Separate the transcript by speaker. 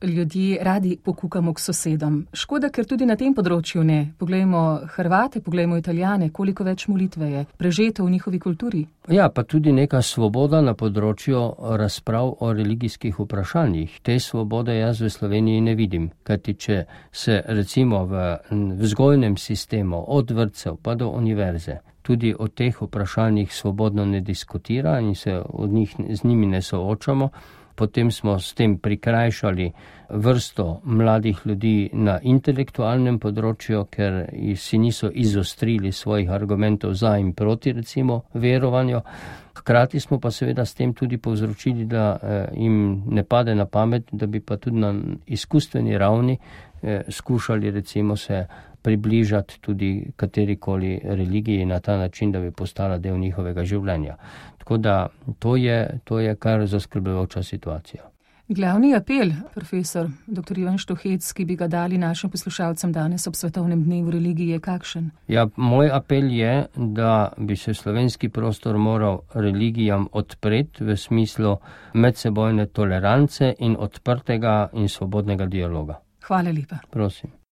Speaker 1: ljudje radi pokukamo k sosedom. Škoda, ker tudi na tem področju ne. Poglejmo Hrvate, poglejmo Italijane, koliko več molitve je prežeto v njihovi kulturi.
Speaker 2: Ja, pa tudi neka svoboda na področju razprav o religijskih vprašanjih. Te svobode jaz v Sloveniji ne vidim, kajti če se recimo v vzgojnem sistemu od vrtcev pa do univerze tudi o teh vprašanjih svobodno ne diskutira in se z njimi ne soočamo, potem smo s tem prikrajšali vrsto mladih ljudi na intelektualnem področju, ker si niso izostrili svojih argumentov za in proti recimo verovanju. Hkrati smo pa seveda s tem tudi povzročili, da jim ne pade na pamet, da bi pa tudi na izkustveni ravni skušali recimo se približati tudi katerikoli religiji na ta način, da bi postala del njihovega življenja. Tako da to je kar zaskrbljujoča situacija.
Speaker 1: Glavni apel, profesor dr. Ivan Štuhec, ki bi ga dali našim poslušalcem danes ob Svetovnem dnevu religije, je kakšen?
Speaker 2: Ja, moj apel je, da bi se slovenski prostor moral religijam odpreti v smislu medsebojne tolerance in odprtega in svobodnega dialoga.
Speaker 1: Hvala lepa.
Speaker 2: Prosim.